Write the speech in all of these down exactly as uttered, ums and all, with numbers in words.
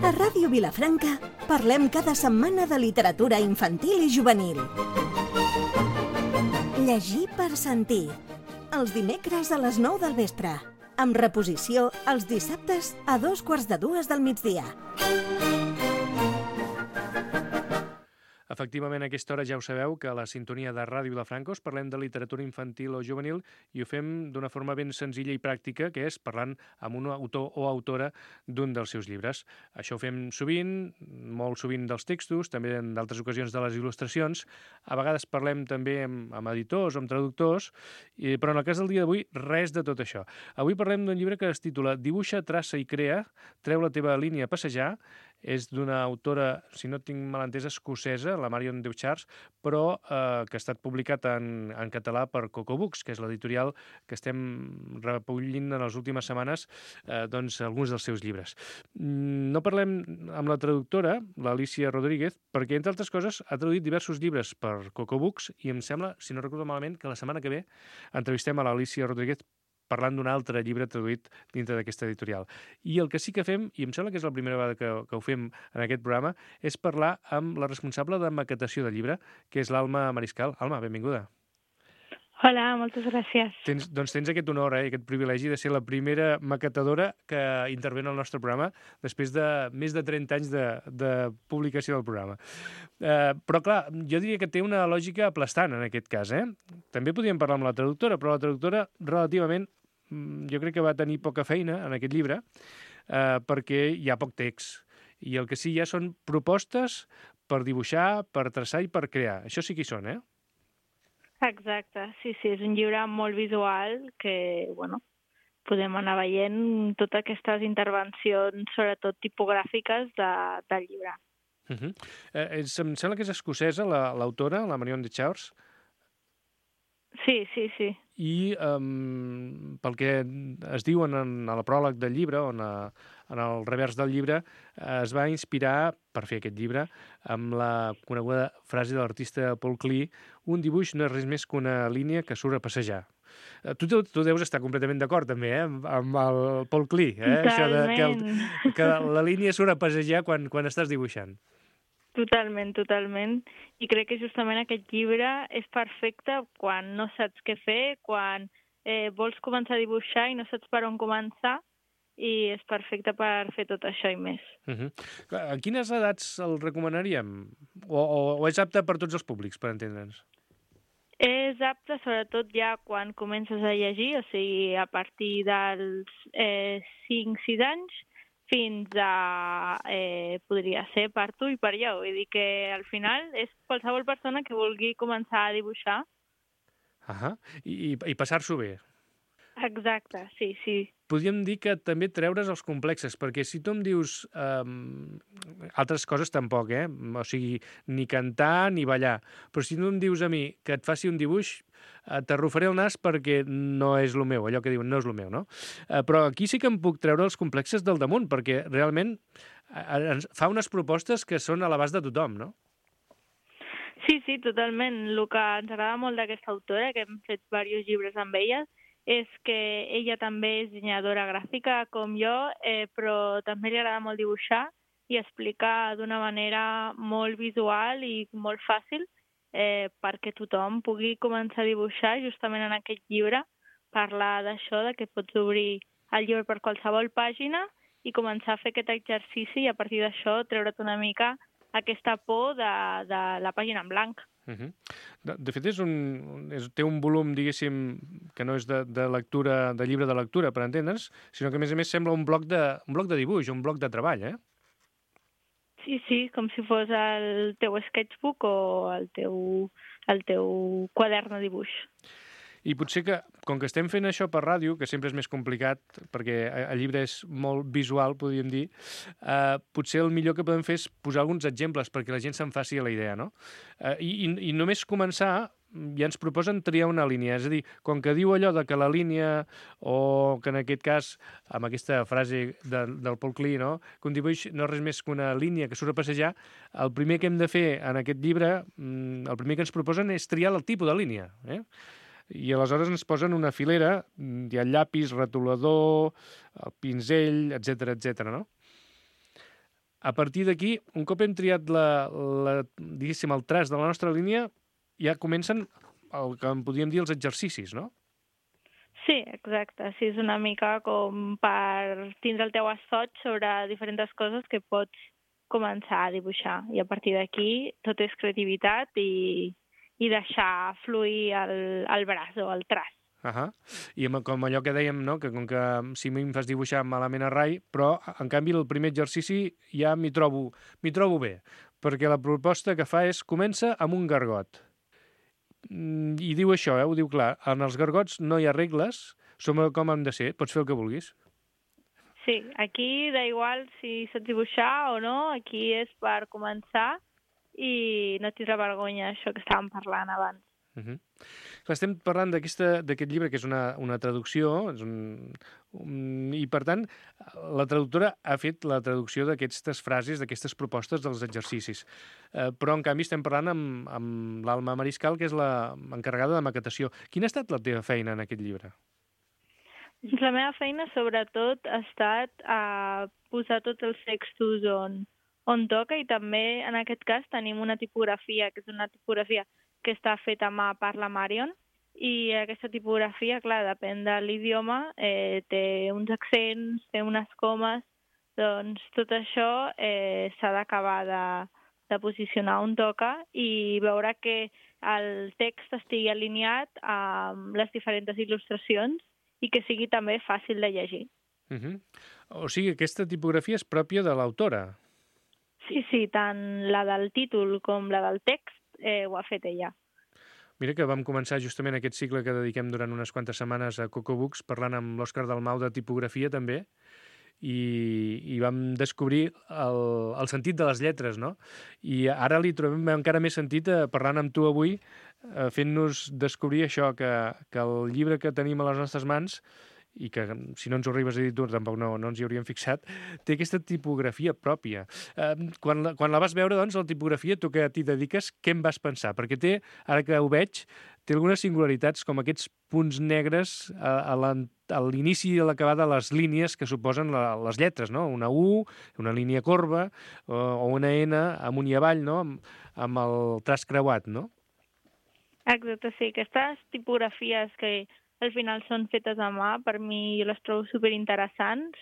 A Ràdio Vilafranca parlem cada setmana de literatura infantil i juvenil. Llegir per sentir. Els dimecres a les nou del vespre. Amb reposició els dissabtes a dos quarts de dues del migdia. Efectivament, a aquesta hora ja ho sabeu, que a la sintonia de Ràdio Vilafranca us parlem de literatura infantil o juvenil i ho fem d'una forma ben senzilla i pràctica, que és parlant amb un autor o autora d'un dels seus llibres. Això ho fem sovint, molt sovint dels textos, també en d'altres ocasions de les il·lustracions. A vegades parlem també amb, amb editors o amb traductors, i, però en el cas del dia d'avui, res de tot això. Avui parlem d'un llibre que es titula Dibuixa, traça i crea, treu la teva línia a passejar. És d'una autora, si no tinc mal entès, escocesa, la Marion Deuchars, però eh, que ha estat publicat en, en català per Coco Books, que és l'editorial que estem recollint en les últimes setmanes eh, doncs, alguns dels seus llibres. No parlem amb la traductora, l'Alicia Rodríguez, perquè, entre altres coses, ha traduït diversos llibres per Coco Books i em sembla, si no recordo malament, que la setmana que ve entrevistem a l'Alicia Rodríguez parlant d'un altre llibre traduït dintre d'aquesta editorial. I el que sí que fem, i em sembla que és la primera vegada que, que ho fem en aquest programa, és parlar amb la responsable de maquetació del llibre, que és l'Alma Mariscal. Alma, benvinguda. Hola, moltes gràcies. Tens, doncs tens aquest honor, eh, aquest privilegi de ser la primera maquetadora que intervé en el nostre programa després de més de trenta anys de, de publicació del programa. Eh, però, clar, jo diria que té una lògica aplastant en aquest cas. Eh? També podríem parlar amb la traductora, però la traductora relativament, jo crec que va tenir poca feina en aquest llibre eh, perquè hi ha poc text. I el que sí hi ha són propostes per dibuixar, per traçar i per crear. Això sí que hi són, eh? Exacte, sí, sí, és un llibre molt visual que, bueno, podem anar veient totes aquestes intervencions, sobretot tipogràfiques, de, del llibre. Uh -huh. eh, és, em sembla que és escocesa, l'autora, la, la Marion Deuchars. Sí, sí, sí. I um, pel que es diuen en, a la pròleg del llibre, on a, en el revers del llibre, es va inspirar per fer aquest llibre amb la coneguda frase de l'artista Paul Klee: un dibuix no és res més que una línia que surt a passejar. Tu, tu, tu deus estar completament d'acord també eh? amb, amb el Paul Klee, eh? Això de que, el, que la línia surt a passejar quan, quan estàs dibuixant. Totalment, totalment. I crec que justament aquest llibre és perfecte quan no saps què fer, quan eh, vols començar a dibuixar i no saps per on començar, i és perfecte per fer tot això i més. Uh-huh. A quines edats el recomanaríem? O, o, o és apte per tots els públics, per entendre'ns? És apte sobretot ja quan comences a llegir, o sigui, a partir dels eh, cinc sis anys, fins a, eh, podria ser per tu i per jo. Vull dir que al final és qualsevol persona que vulgui començar a dibuixar. Ahà, i, i passar-s'ho bé. Exacte, sí, sí. Podríem dir que també treure's els complexes, perquè si tu em dius um, altres coses tampoc, eh? O sigui, ni cantar ni ballar, però si tu em dius a mi que et faci un dibuix, t'arrufaré el nas perquè no és el meu, allò que diuen no és el meu, no? Uh, però aquí sí que em puc treure els complexes del damunt, perquè realment uh, ens fa unes propostes que són a l'abast de tothom, no? Sí, sí, totalment. El que ens agrada molt d'aquesta autora, que hem fet diversos llibres amb ella, és que ella també és dissenyadora gràfica com jo, eh, però també li agrada molt dibuixar i explicar d'una manera molt visual i molt fàcil eh, perquè tothom pugui començar a dibuixar. Justament en aquest llibre parlar d'això, de que pots obrir el llibre per qualsevol pàgina i començar a fer aquest exercici i a partir d'això treure't una mica aquesta por de, de la pàgina en blanc. Uh -huh. de, de fet, és un, és, té un volum, diguéssim, que no és de, de lectura, de llibre de lectura, per entendre'ns, sinó que, a més a més, sembla un bloc de, un bloc de dibuix, un bloc de treball, eh? Sí, sí, com si fos el teu sketchbook o el teu, el teu quadern de dibuix. I potser que, com que estem fent això per ràdio, que sempre és més complicat, perquè el llibre és molt visual, podríem dir, eh, potser el millor que podem fer és posar alguns exemples perquè la gent se'n faci a la idea, no? Eh, i, I només començar, ja ens proposen triar una línia, és a dir, com que diu allò de que la línia, o que en aquest cas, amb aquesta frase de, del Paul Klee, no? Que un dibuix no és res més que una línia que surt a passejar, el primer que hem de fer en aquest llibre, el primer que ens proposen és triar el tipus de línia, eh? i aleshores ens posen una filera, hi ha llapis, retolador, el pinzell, etcètera, etcètera, no? A partir d'aquí, un cop hem triat la, la, diguéssim, el traç de la nostra línia, ja comencen el que en podríem dir els exercicis, no? Sí, exacte. Sí, és una mica com per tindre el teu assaig sobre diferents coses que pots començar a dibuixar. I a partir d'aquí tot és creativitat i, i deixar fluir el, el braç o el traç. Uh-huh. I com allò que dèiem, no? Que com que si m'hi fas dibuixar malament a rai, però en canvi el primer exercici ja m'hi trobo, m'hi trobo bé, perquè la proposta que fa és comença amb un gargot. I diu això, eh? Ho diu clar, en els gargots no hi ha regles, som com hem de ser, pots fer el que vulguis. Sí, aquí da igual si saps dibuixar o no, aquí és per començar i no tindre vergonya, això que estàvem parlant abans. Uh-huh. Estem parlant d'aquest llibre, que és una, una traducció, és un, un, i per tant la traductora ha fet la traducció d'aquestes frases, d'aquestes propostes dels exercicis. Eh, però en canvi estem parlant amb, amb l'Alma Mariscal, que és la encarregada de maquetació. Quina ha estat la teva feina en aquest llibre? La meva feina sobretot ha estat a posar tots els textos on, on toca, i també en aquest cas tenim una tipografia, que és una tipografia que està feta a mà per la Marion, i aquesta tipografia, clar, depèn de l'idioma, eh, té uns accents, té unes comes, doncs tot això eh, s'ha d'acabar de, de posicionar on toca i veure que el text estigui alineat amb les diferents il·lustracions i que sigui també fàcil de llegir. Uh-huh. O sigui, aquesta tipografia és pròpia de l'autora. Sí, sí, tant la del títol com la del text eh, ho ha fet ella. Mira que vam començar justament aquest cicle que dediquem durant unes quantes setmanes a Coco Books, parlant amb l'Òscar Dalmau de tipografia també, i, i vam descobrir el, el sentit de les lletres, no? I ara li trobem encara més sentit eh, parlant amb tu avui, eh, fent-nos descobrir això, que, que el llibre que tenim a les nostres mans, i que si no ens ho arribes a dir tu tampoc no, no ens hi hauríem fixat, té aquesta tipografia pròpia. Eh, quan, la, quan la vas veure, doncs, la tipografia, tu que t'hi dediques, què en vas pensar? Perquè té, ara que ho veig, té algunes singularitats com aquests punts negres a, a l'inici i a l'acabada de les línies que suposen la, les lletres, no? Una U, una línia corba, o, o una N amunt i avall, no? Amb, amb el traç creuat, no? Exacte, sí. Aquestes tipografies que al final són fetes a mà, per mi jo les trobo superinteressants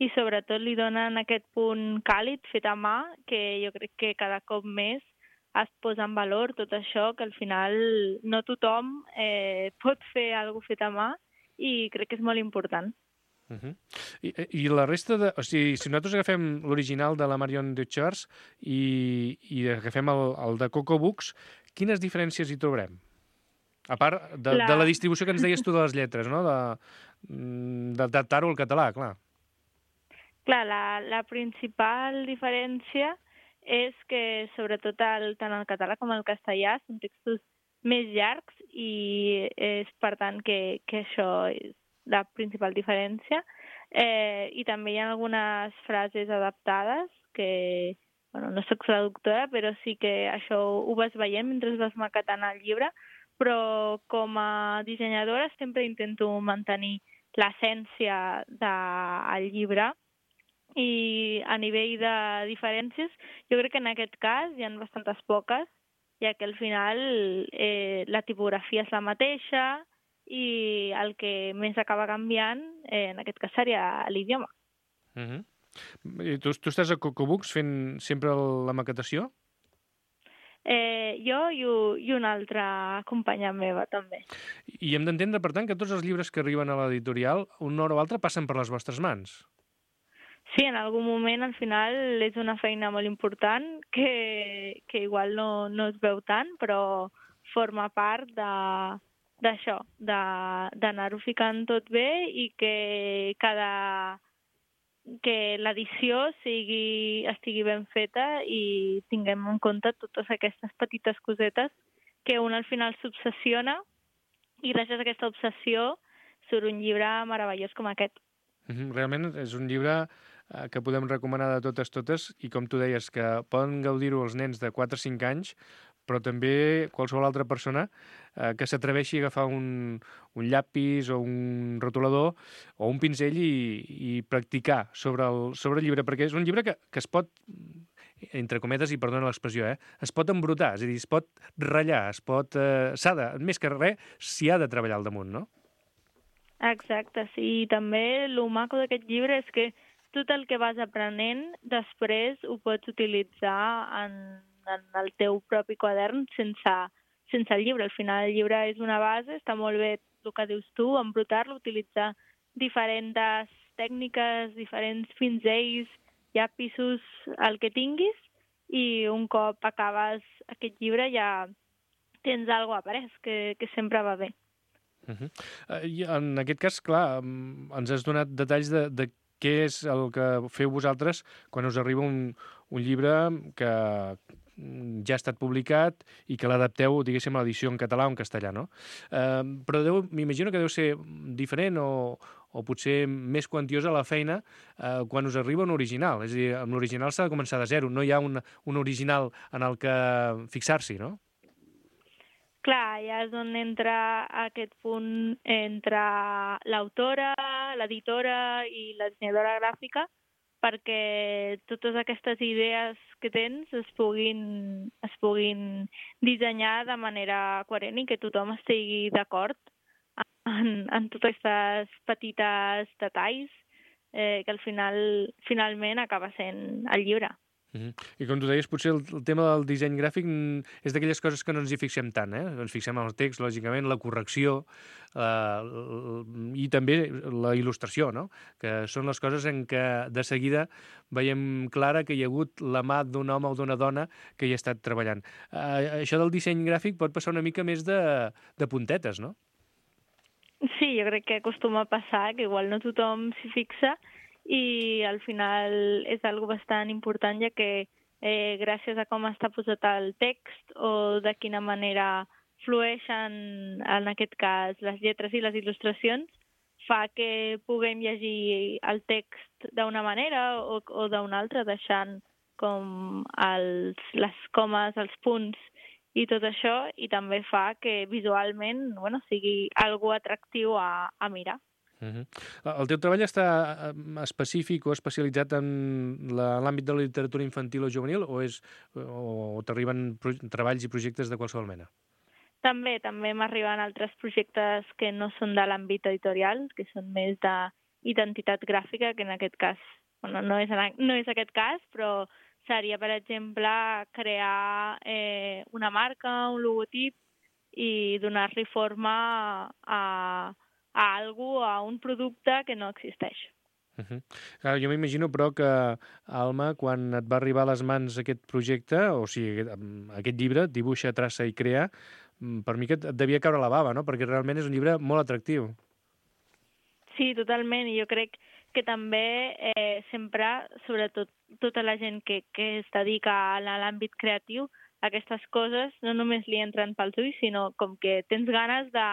i sobretot li donen aquest punt càlid fet a mà, que jo crec que cada cop més es posa en valor tot això, que al final no tothom eh, pot fer alguna cosa fet a mà i crec que és molt important. Uh-huh. I, I la resta de... O sigui, si nosaltres agafem l'original de la Marion Duchars i, i agafem el, el de Coco Books, quines diferències hi trobarem? A part de la... de la distribució que ens deies tu de les lletres, no? D'adaptar-ho al català, clar. Clar, la, la principal diferència és que sobretot el, tant el català com el castellà són textos més llargs i és per tant que, que això és la principal diferència. Eh, I també hi ha algunes frases adaptades que, bueno, no soc traductora, però sí que això ho vas veient mentre vas maquetant el llibre, però com a dissenyadora sempre intento mantenir l'essència del llibre i a nivell de diferències jo crec que en aquest cas hi ha bastantes poques, ja que al final eh, la tipografia és la mateixa i el que més acaba canviant eh, en aquest cas seria l'idioma. Uh-huh. I tu, tu estàs a Coco Books fent sempre la maquetació? Eh, jo i, i una altra companya meva, també. I hem d'entendre, per tant, que tots els llibres que arriben a l'editorial, una hora o altra, passen per les vostres mans. Sí, en algun moment, al final, és una feina molt important que, que igual no, no es veu tant, però forma part d'això, d'anar-ho ficant tot bé i que cada... que l'edició sigui, estigui ben feta i tinguem en compte totes aquestes petites cosetes que un al final s'obsessiona i gràcies a aquesta obsessió surt un llibre meravellós com aquest. Realment és un llibre que podem recomanar de totes totes i com tu deies que poden gaudir-ho els nens de quatre a cinc anys però també qualsevol altra persona eh, que s'atreveixi a agafar un, un llapis o un rotulador o un pinzell i, i practicar sobre el, sobre el llibre, perquè és un llibre que, que es pot, entre cometes, i perdona l'expressió, eh, es pot embrutar, és a dir, es pot ratllar, es pot... Eh, s'ha de, més que res, s'hi ha de treballar al damunt, no? Exacte, sí. I també el maco d'aquest llibre és que tot el que vas aprenent després ho pots utilitzar en, en el teu propi quadern sense, sense el llibre. Al final el llibre és una base, està molt bé el que dius tu, embrutar-lo, utilitzar diferents tècniques, diferents pinzells, llapisos, el que tinguis, i un cop acabes aquest llibre ja tens alguna cosa après, que, que sempre va bé. Uh -huh. uh, I en aquest cas, clar, ens has donat detalls de, de què és el que feu vosaltres quan us arriba un, un llibre que ja ha estat publicat i que l'adapteu, diguéssim, a l'edició en català o en castellà, no? Eh, però deu, m'imagino que deu ser diferent o, o potser més quantiosa la feina eh, quan us arriba un original. És a dir, amb l'original s'ha de començar de zero, no hi ha un, un original en el que fixar-s'hi, no? Clar, ja és on entra aquest punt entre l'autora, l'editora i la dissenyadora gràfica, perquè totes aquestes idees que tens es puguin, es puguin dissenyar de manera coherent i que tothom estigui d'acord en, en tots aquests petits detalls eh, que al final, finalment acaba sent el llibre. Uh-huh. I com tu deies, potser el, el tema del disseny gràfic és d'aquelles coses que no ens hi fixem tant, eh? Ens fixem en el text, lògicament, la correcció eh, i també la il·lustració, no? Que són les coses en què de seguida veiem clara que hi ha hagut la mà d'un home o d'una dona que hi ha estat treballant. Eh, això del disseny gràfic pot passar una mica més de, de puntetes, no? Sí, jo crec que acostuma a passar, que igual no tothom s'hi fixa, i al final és algo bastant important, ja que eh, gràcies a com està posat el text o de quina manera flueixen, en aquest cas, les lletres i les il·lustracions, fa que puguem llegir el text d'una manera o, o d'una altra, deixant com els, les comes, els punts i tot això, i també fa que visualment bueno, sigui algo atractiu a, a mirar. Uh-huh. El teu treball està específic o especialitzat en l'àmbit de la literatura infantil o juvenil o, és, o, o t'arriben treballs i projectes de qualsevol mena? També, també m'arriben altres projectes que no són de l'àmbit editorial, que són més d'identitat gràfica, que en aquest cas, bueno, no és, no és aquest cas, però seria, per exemple, crear eh, una marca, un logotip i donar-li forma a a algú, a un producte que no existeix. Uh-huh. Clar, jo m'imagino, però, que, Alma, quan et va arribar a les mans aquest projecte, o sigui, aquest, aquest llibre, Dibuixa, traça i crea, per mi que et devia caure la bava, no? Perquè realment és un llibre molt atractiu. Sí, totalment, i jo crec que també eh, sempre, sobretot tota la gent que, que es dedica a l'àmbit creatiu, aquestes coses no només li entren pels ulls, sinó com que tens ganes de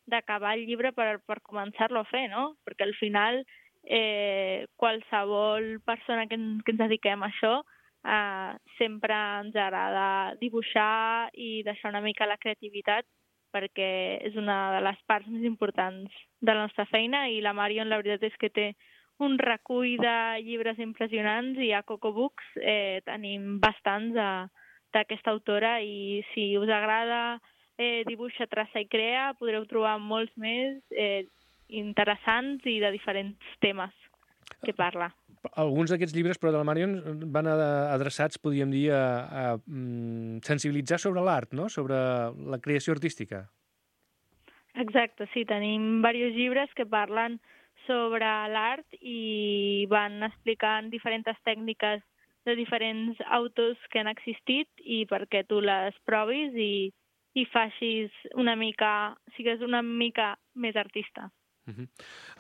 d'acabar el llibre per, per començar-lo a fer, no? Perquè al final eh, qualsevol persona que, que ens dediquem a això eh, sempre ens agrada dibuixar i deixar una mica la creativitat perquè és una de les parts més importants de la nostra feina i la Marion la veritat és que té un recull de llibres impressionants i a Coco Books eh, tenim bastants d'aquesta autora i si us agrada Eh, dibuixa, traça i crea, podreu trobar molts més eh, interessants i de diferents temes que parla. Alguns d'aquests llibres, però, de la Marion van adreçats, podríem dir, a, a, a sensibilitzar sobre l'art, no? Sobre la creació artística. Exacte, sí. Tenim diversos llibres que parlen sobre l'art i van explicant diferents tècniques de diferents autors que han existit i perquè tu les provis i i facis una mica, sigues una mica més artista. Uh-huh.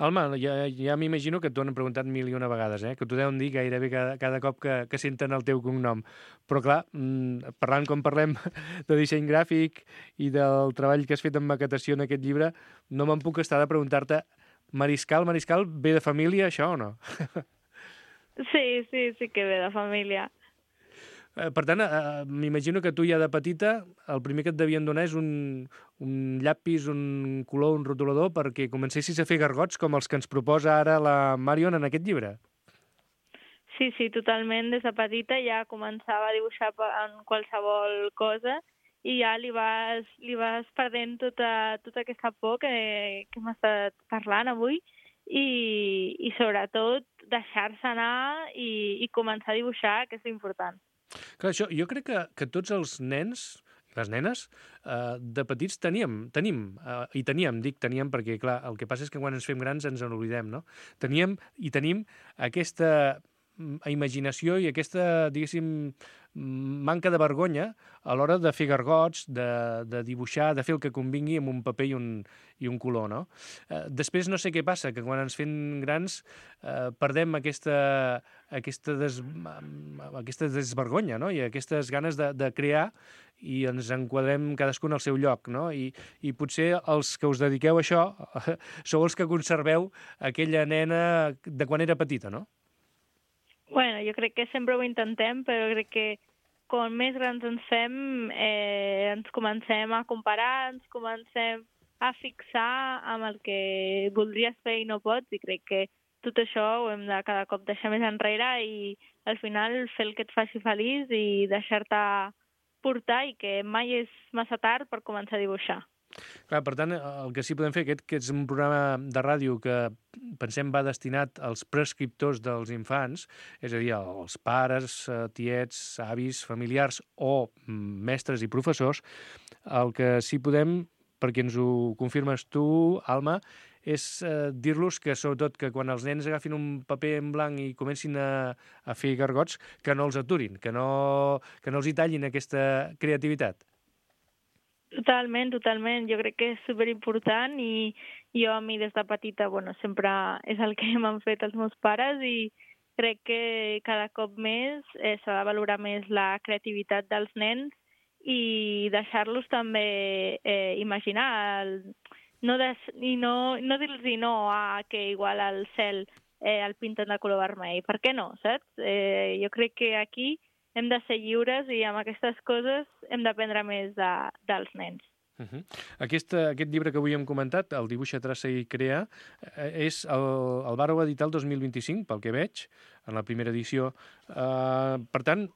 Alma, ja, ja m'imagino que t'ho han preguntat mil i una vegades, eh? Que t'ho deuen dir gairebé cada, cada cop que, que senten el teu cognom. Però clar, parlant com parlem de disseny gràfic i del treball que has fet en maquetació en aquest llibre, no me'n puc estar de preguntar-te, Mariscal, Mariscal, ve de família això o no? Sí, sí, sí que ve de família. Eh, per tant, eh, m'imagino que tu ja de petita el primer que et devien donar és un, un llapis, un color, un rotulador, perquè comencessis a fer gargots com els que ens proposa ara la Marion en aquest llibre. Sí, sí, totalment. Des de petita ja començava a dibuixar en qualsevol cosa i ja li vas, li vas perdent tota, tota aquesta por que, que hem estat parlant avui i, i sobretot deixar-se anar i, i començar a dibuixar, que és important. Clar, això, jo crec que, que tots els nens i les nenes eh, de petits teníem, tenim, eh, i teníem, dic teníem perquè, clar, el que passa és que quan ens fem grans ens en oblidem, no? Teníem i tenim aquesta imaginació i aquesta, diguéssim, manca de vergonya a l'hora de fer gargots, de, de dibuixar, de fer el que convingui amb un paper i un, i un color, no? Eh, després no sé què passa, que quan ens fem grans eh, perdem aquesta, aquesta, des, aquesta desvergonya, no? I aquestes ganes de, de crear i ens enquadrem cadascun al seu lloc, no? I, i potser els que us dediqueu a això sou els que conserveu aquella nena de quan era petita, no? Bueno, jo crec que sempre ho intentem, però crec que com més grans ens fem, eh, ens comencem a comparar, ens comencem a fixar amb el que voldries fer i no pots, i crec que tot això ho hem de cada cop deixar més enrere i al final fer el que et faci feliç i deixar-te portar i que mai és massa tard per començar a dibuixar. Clar, per tant, el que sí podem fer, aquest que és un programa de ràdio que pensem va destinat als prescriptors dels infants, és a dir, als pares, tiets, avis, familiars o mestres i professors, el que sí podem, perquè ens ho confirmes tu, Alma, és eh, dir-los que, sobretot, que quan els nens agafin un paper en blanc i comencin a, a fer gargots, que no els aturin, que no, que no els hi tallin aquesta creativitat. Totalment, totalment. Jo crec que és superimportant i jo a mi des de petita, bueno, sempre és el que m'han fet els meus pares i crec que cada cop més eh, s'ha de valorar més la creativitat dels nens i deixar-los també eh, imaginar el, no des, i no, no dir-los no a que igual el cel eh, el pinten de color vermell. Per què no, saps? Eh, jo crec que aquí hem de ser lliures i amb aquestes coses hem d'aprendre més de, dels nens. Uh -huh. Aquest, aquest llibre que avui hem comentat, el Dibuixa, traça i crea, és el, el vareu editar el dos mil vint-i-cinc, pel que veig, en la primera edició. Uh, per tant,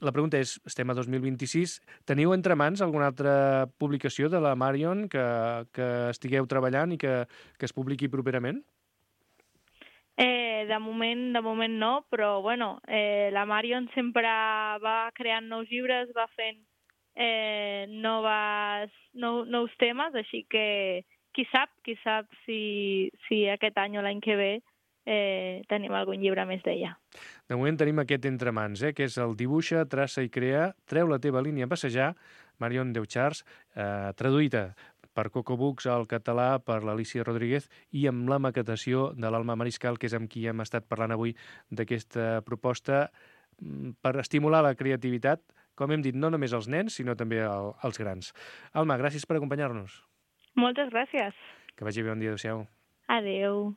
la pregunta és, estem a dos mil vint-i-sis, teniu entre mans alguna altra publicació de la Marion que, que estigueu treballant i que, que es publiqui properament? Eh, de moment, de moment no, però bueno, eh, la Marion sempre va creant nous llibres, va fent eh, noves, nou, nous temes, així que qui sap, qui sap si, si aquest any o l'any que ve eh, tenim algun llibre més d'ella. De moment tenim aquest entre mans, eh, que és el Dibuixa, traça i crea, treu la teva línia a passejar, Marion Deuchars, eh, traduïda per Cocobooks al català, per l'Alicia Rodríguez i amb la maquetació de l'Alma Mariscal, que és amb qui hem estat parlant avui d'aquesta proposta per estimular la creativitat, com hem dit, no només als nens, sinó també als grans. Alma, gràcies per acompanyar-nos. Moltes gràcies. Que vagi bé, bon dia, adéu-siau. Adéu.